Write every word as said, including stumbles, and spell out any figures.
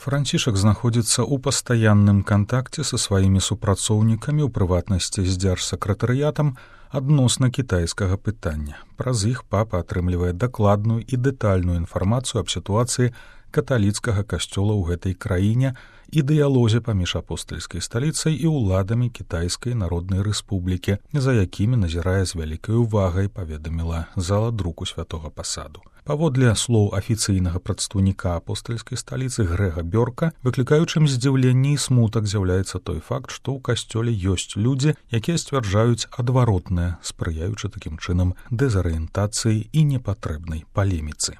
Францішак знаходзіцца ў пастаянным кантакце са сваімі супрацоўнікамі, у прыватнасці з дзяржсакратарыятам, адносна кітайскага пытання. Праз іх папа атрымлівае дакладную і дэтальную інфармацыю аб сітуацыі каталіцкага касцёла ў гэтай краіне і дыялозе паміж апостальскай сталіцай і ўладамі Кітайскай Народнай Рэспублікі, за якімі назірае з вялікай увагай, паведаміла зала друку святога пасаду. Паводле слоў афіцыйнага прадстаўніка апостальскай сталіцы Грэга Бёрка, выклікаючым здзіўленне і смутак з'яўляецца той факт, што ў касцёле ёсць людзі, якія сцвярджаюць адваротнае, спрыяючы такім чынам дэзарыентацыі і непатрэбнай палеміцы.